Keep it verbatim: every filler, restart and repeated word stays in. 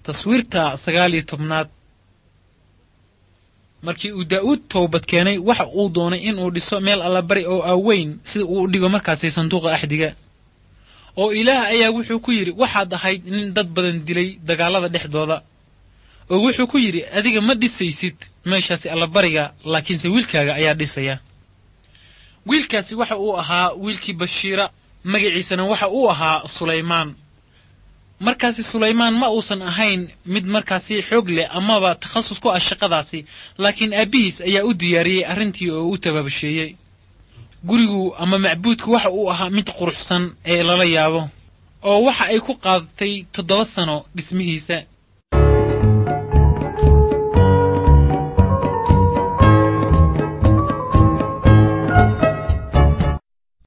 Taswiirta sagaal iyo tobnaad. Markii uu Daa'uud toobad keenay, waxa uu doonay inuu dhiso meel allabari oo aaweyn sida uu u dhigo markaasi sanduuqa axdiga. Oo Ilaah ayaa wuxuu ku yidhi, waxaad ahayd nin dad badan dilay dagaallada dhexdooda. Oo wuxuu ku yidhi, adiga ma dhisaysid meeshaasi allabariga, laakiinse wiilkaaga ayaa dhisaya. Wiilkaasi waxa uu ahaa wiilkii Bashiira, magaciisana waxa uu ahaa Sulaymaan. Markaasi Sulaymaan ma uusan ahayn mid markaasi xoog leh amaba takhasus ku ah shaqadaasi, laakiin aabbihiis ayaa u diyaariyey arrintii oo u tabaabasheeyey. Gurigu ama macbuudku waxa uu ahaa mid quruxsan ee lala yaabo, oo waxa ay ku qaadatay toddoba sano dhismihiisa.